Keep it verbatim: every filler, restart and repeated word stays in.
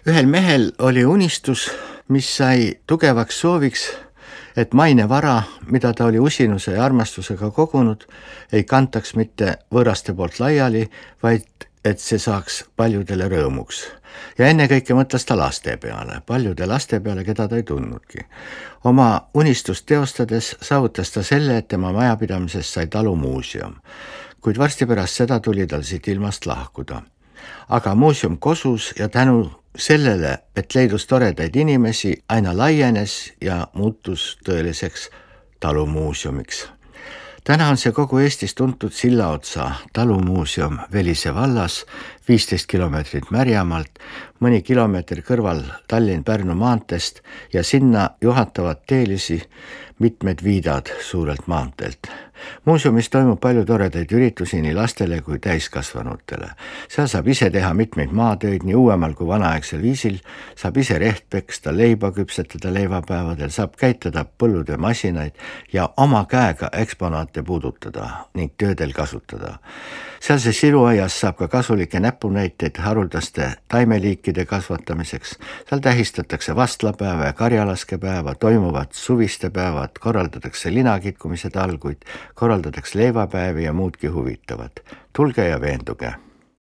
Ühel mehel oli unistus, mis sai tugevaks sooviks, et maine vara, mida ta oli usinuse ja armastusega kogunud, ei kantaks mitte võõraste poolt laiali, vaid et see saaks paljudele rõõmuks. Ja enne kõike mõtles ta laste peale, paljude laste peale, keda ta ei tundnudki. Oma unistust teostades saavutas ta selle, et tema majapidamisest sai talumuuseum, kuid varsti pärast seda tuli tal siit ilmast lahkuda. Aga muuseum kosus ja tänu sellele, et leidus toredaid inimesi, aina laienes ja muutus tõeliseks talumuuseumiks. Täna on see kogu Eestis tuntud Sillaotsa talumuuseum Velise vallas, viisteist kilomeetrit Märjamaalt, mõni kilomeeter kõrval Tallinn-Pärnu maanteest ja sinna juhatavad teelisi mitmed viidad suurelt maanteelt. Muuseumis toimub palju toredaid üritusi nii lastele kui täiskasvanutele. Seal saab ise teha mitmeid maatöid nii uuemal kui vanaaegsel viisil, saab ise reht peksta, leiba küpsetada leivapäevadel, saab käitada põllude masinaid ja oma käega eksponaate puudutada ning töödel kasutada. Sealse siluaias saab ka kasulikke näpunäiteid haruldaste taimeliikide kasvatamiseks. Seal tähistatakse vastlapäeva ja karjalaskepäeva, toimuvad suviste päevad, korraldatakse linakitkumise talguid, korraldatakse leivapäevi ja muudki huvitavat. Tulge ja veenduge!